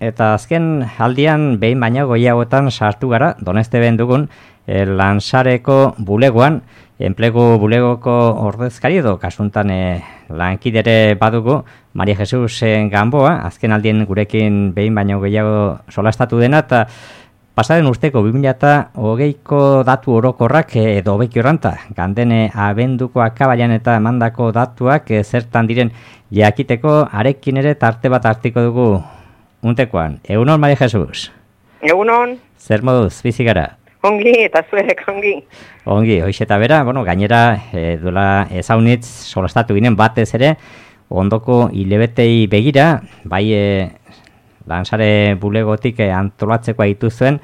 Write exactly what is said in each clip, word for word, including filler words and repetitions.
eta azken aldian behin baino gehiagotan sartu gara, Donesteben dugun, e, Lansareko bulegoan, enplegu bulegoko ordezkari edo kasuntan e, lankidere badugu, Maria Jesus Gamboa, azken aldien gurekin behin baino gehiago solastatu dena, eta pasaren urteko bi mila hogeiko datu orokorrak edo hobeki orranta, gandene abenduko akabaian eta emandako datuak e, zertan diren jakiteko, arekin ere tarte bat hartiko dugu untekoan. Egunon, Maria Jesus? Egunon. Zer moduz, bizi gara? Ongi, eta zuerek ongi. Ongi, hoiz eta bera, bueno, gainera e, duela ezaunitz solastatu ginen batez ere, ondoko hilebetei begira, bai e, Lansare bulegotik e, antolatzeko dituzuen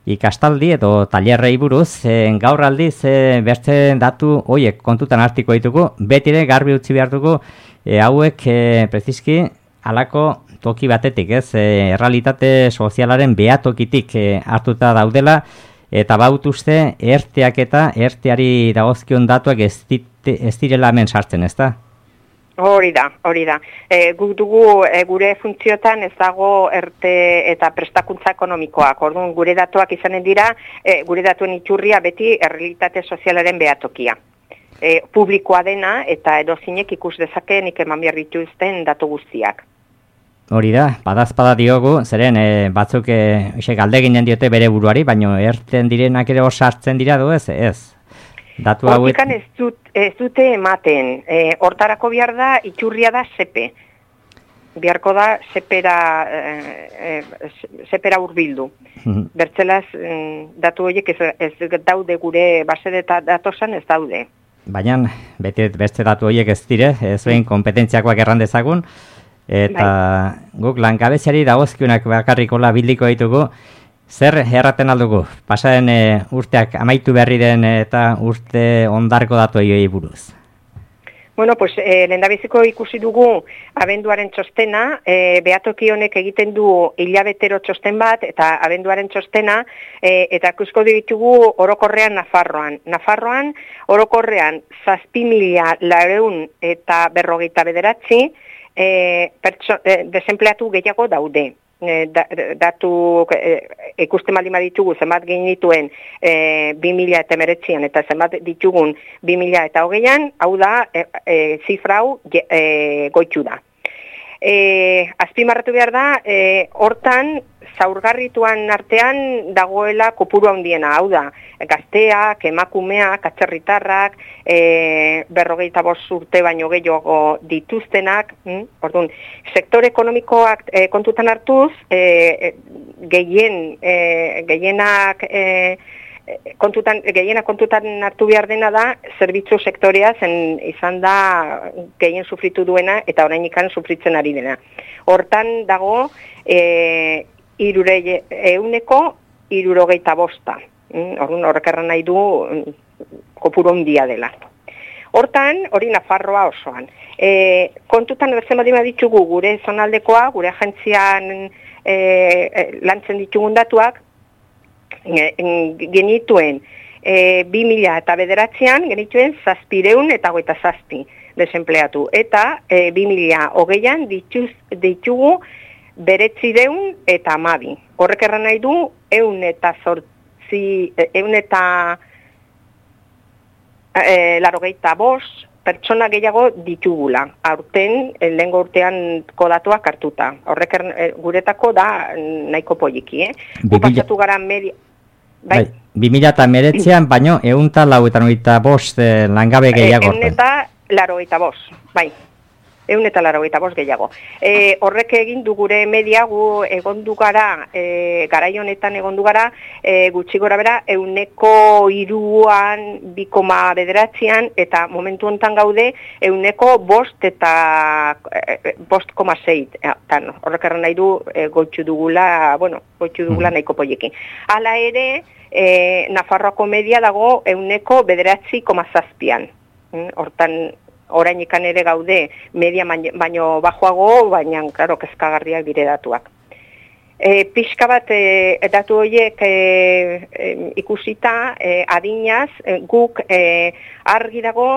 ikastaldi edo tailerrei buruz, e, gaur aldiz e, beste datu hoiek kontutan hartiko ditugu, beti ere garbi utzi behar dugu, e, hauek e, preziski halako toki batetik, ez, e, errealitate sozialaren behatokitik e, hartuta daudela, eta baut uste erteak eta erteari dagozkion datuak ez, dit, ez direla hemen sartzen, ez da? Hori da, hori da. E, guk dugu e, gure funtziotan ez dago erte eta prestakuntza ekonomikoak. Orduan gure datuak izanen dira, e, gure datuen iturria beti errealitate sozialaren behatokia. E, publikoa dena eta edozinek ikus dezakeenik eman behar dituzten datu guztiak. Hori da, badazpada diogu, zeren e, batzuk e, galdeginen diote bere buruari, baino erten direnak ere hor sartzen dira du ez, ez? Datu hauet... Hortikan ez, dut, ez dute ematen, e, hortarako behar da, iturria da sepe. Biharko da sepera, e, e, sepera urbildu. Mm-hmm. Bertzelaz, datu horiek ez, ez daude gure base eta datosan ez daude. Baina, beti beste datu horiek ez dire, ez behin kompetentziakoak erran dezagun, eta bai. Guk langabeziari dagozkiunak bakarrikola bildiko ditugu, zer erraten aldugu? Pasaren e, urteak amaitu berri den eta urte ondarko datu egoi buruz. Bueno, pues eh, lehendabiziko ikusi dugu abenduaren txostena, eh, behatoki honek egiten du hilabetero txosten bat, eta abenduaren txostena, eh, eta ikusko ditugu orokorrean Nafarroan. Nafarroan, orokorrean, zazpi mila laurehun eta berrogeita bederatzi, eh, pertso, eh, desempleatu gehiago daude. E, da, datu e, ikusten baldin baditugu zenbat genituen e, bi mila eta hemeretzian eta zenbat ditugun bi mila eta hogeian, hau da e, e, zifra hau e, goitu da. E, azpimarratu behar da, e, hortan zaurgarrituan artean dagoela kopuru handiena, hau da, gazteak, emakumeak, atzerritarrak, e, berrogeita bost urte baino gehiago dituztenak, hm? Orduan, sektore ekonomikoak e, kontutan hartuz, e, gehien, e, gehienak, e, kontutan, gehienak kontutan hartu behar dena da, zerbitzu sektorea zen izan da gehien sufritu duena eta orain ikan sufritzen ari dena. Hortan dago, e, irure euneko irurogeita bosta. Orduan horrek erran nahi du kopuru handia dela. Hortan, hori Nafarroa osoan. E, kontutan bertzen badima ditugu gure zonaldekoa, gure agentzian e, lantzen ditugun datuak, e, genituen e, bi mila eta bederatzean genituen zazpireun eta goita zazpi desempleatu. Eta e, bi mila hogeian dituz, ditugu beretzireun eta amabi. Horrek erran nahi du, eun eta zortzi, eun eta e, larogeita bost pertsona gehiago ditugula. Aurten, lehengo urtean kodatuak hartuta. Horrek erran, e, guretako da nahiko poliki, eh? Gupasatu gara media... Bai? bi mila eta meretzean, baino, eun eta lau eta noita bost eh, langabe gehiago. Eun eta larogeita bost, bai. Eun eta laurogeita bost gehiago. E, horrek egin du gure media, gu egondu gara, e, garai honetan egondu gara, e, gutxi gora bera, euneko iruan, bi koma bederatzean, eta momentu honetan gaude, euneko bost eta e, bost koma sei. Horrek erran nahi du, e, goitxu dugula, bueno, goitxu dugula nahiko poiekin. Hala ere, e, Nafarroako media dago euneko bederatzi koma zazpian. Hortan, orain ikan ere gaude media baino bajoago, baina, klaro, kezkagarriak dire datuak. E, pixka bat e, datu horiek e, e, ikusita, e, adinaz, e, guk e, argi dago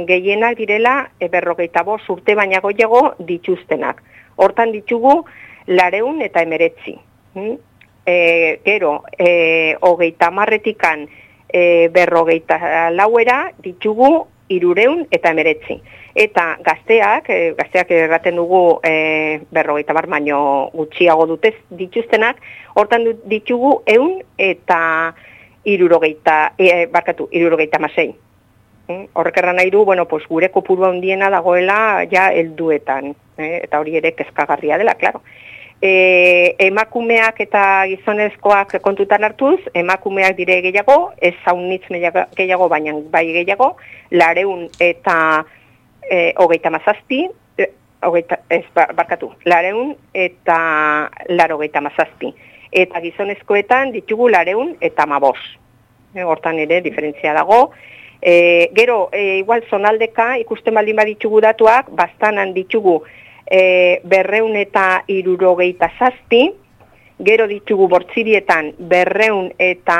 gehienak direla e, berrogeita bost urte baina goiago dituztenak. Hortan ditugu lareun eta emeretzi. Mm? E, gero, e, hogeita marretikan e, berrogeita lauera ditugu irureun eta emeretzi. Eta gazteak, e, gazteak erraten dugu e, berrogeita bar baino gutxiago dutez dituztenak, hortan ditugu eun eta irurogeita, e, barkatu, irurogeita masei. Mm? Horrek erran nahi du, bueno, pues, gure kopuru handiena dagoela ja helduetan, eh? Eta hori ere kezkagarria dela, klaro. E, emakumeak eta gizonezkoak kontutan hartuz, emakumeak dire gehiago, ez zaunitz gehiago, baina bai gehiago, lareun eta e, hogeita mazazpi, e, hogeita, ez barkatu, lareun eta laro hogeita mazazpi. Eta gizonezkoetan ditugu lareun eta mabos. E, hortan ere diferentzia dago. E, gero, e, igual zonaldeka ikusten baldin baditugu datuak, bastanan ditugu E, berreun eta irurogeita zazpi, gero ditugu bortzirietan berreun eta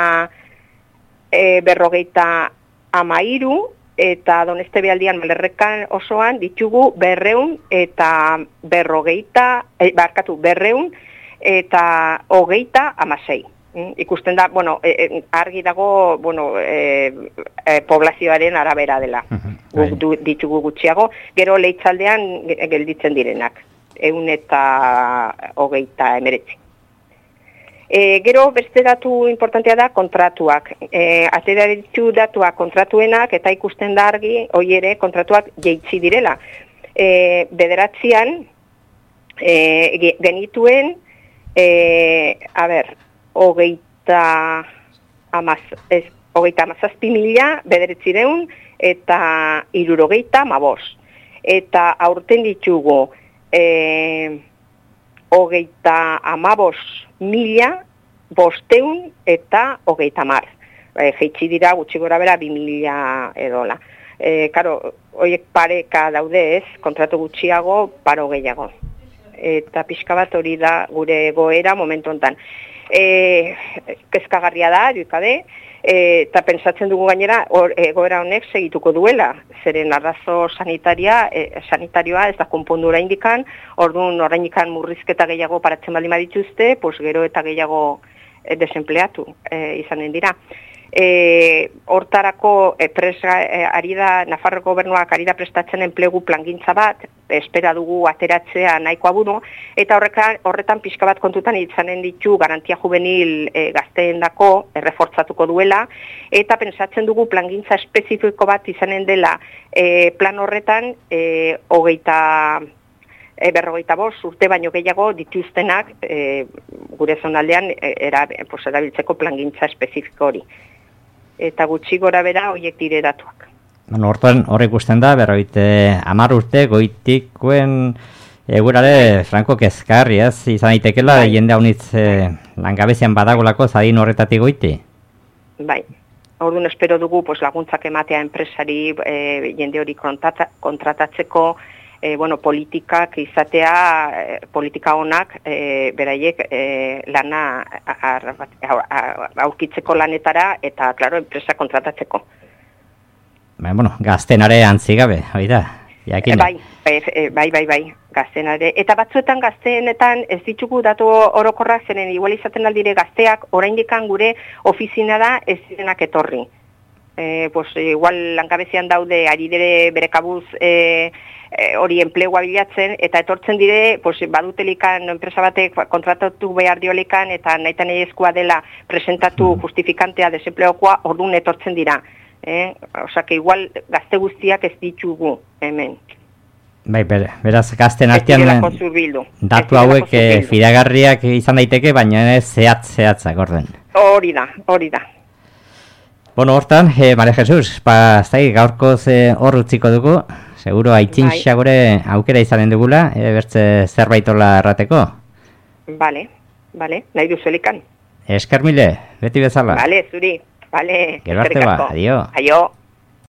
e, berrogeita amairu, eta Doneste Bealdian Malerrekan osoan ditugu berreun eta berrogeita, e, barkatu, berreun eta hogeita amasei. Mm, ikusten da, bueno, e, argi dago, bueno, e, e, poblazioaren arabera dela. Guk du, ditugu gutxiago, gero leitzaldean gelditzen direnak, eun eta hogeita emeretzi. E, gero beste datu importantea da kontratuak. E, atera ditu datuak kontratuenak eta ikusten da argi, hoi ere kontratuak jeitsi direla. E, bederatzean e, genituen, e, a ber, hogeita amaz, ez, hogeita amazazpi mila bederetzireun eta irurogeita mabos. Eta aurten ditugu e, hogeita amabos mila bosteun eta hogeita mar. E, Jeitsi dira gutxi gora bera bi mila edola. E, karo, horiek pareka daude ez, kontratu gutxiago, paro gehiago. Eta pixka bat hori da gure goera momentu honetan. E, kezkagarria da, duikabe, e, eta pentsatzen dugu gainera or, egoera honek segituko duela, zeren arrazo sanitaria, e, sanitarioa ez da konpondu oraindikan, orduan oraindikan murrizketa gehiago paratzen baldin badituzte, pues gero eta gehiago e, desempleatu e, izanen dira. E, hortarako e, presa, e, ari da, Nafarroko gobernuak ari da prestatzen enplegu plangintza bat, espera dugu ateratzea nahikoa buru, eta horrekan, horretan pixka bat kontutan izanen ditu garantia juvenil e, gazteen dako errefortzatuko duela, eta pensatzen dugu plangintza espezifiko bat izanen dela e, plan horretan e, hogeita E, berrogeita bost urte baino gehiago dituztenak e, gure zonaldean e, era, pues, erabiltzeko plangintza espezifiko hori. Eta gutxi gora bera horiek dire datuak. Bueno, hortan horrek ikusten da, berroite hamar urte goitikuen egurare franko kezkarri, ez? Izan daitekela bai. Jende haunitz e, langabezian badagolako zadin horretatik goiti? Bai. Orduan espero dugu pues, laguntzak ematea enpresari e, jende hori kontrata, kontratatzeko E, bueno, politikak izatea, e, politika honak, e, beraiek e, lana aurkitzeko lanetara eta, klaro, enpresa kontratatzeko. Ba, bueno, gaztenare antzigabe, hori da, e, bai, e, bai, bai, bai, gaztenare. Eta batzuetan gazteenetan ez ditugu datu orokorrak, zeren igual izaten aldire gazteak, oraindikan gure ofizina da ez direnak etorri. E, pues, igual langabezian daude, ari dire bere kabuz e, hori e, enplegua bilatzen, eta etortzen dire, pues, badutelikan enpresa batek kontratatu behar diolikan, eta nahitan egizkoa dela presentatu justifikantea desempleokoa, orduan etortzen dira. Eh? Osa, que igual gazte guztiak ez ditugu hemen. Bai, ber, beraz, gazten artean datu hauek e, fidagarriak izan daiteke, baina ez zehatz-zehatzak orden. Hori da, hori da. Bueno, hortan, eh, Maria Jesus, pa, zai, gaurkoz eh, hor utziko dugu, seguro aitzintxa gure aukera izanen dugula, e, bertze zerbaitola errateko. Bale, bale, nahi duzelikan. Esker mile, beti bezala. Bale, zuri, bale. Gero arte ba, adio. Aio.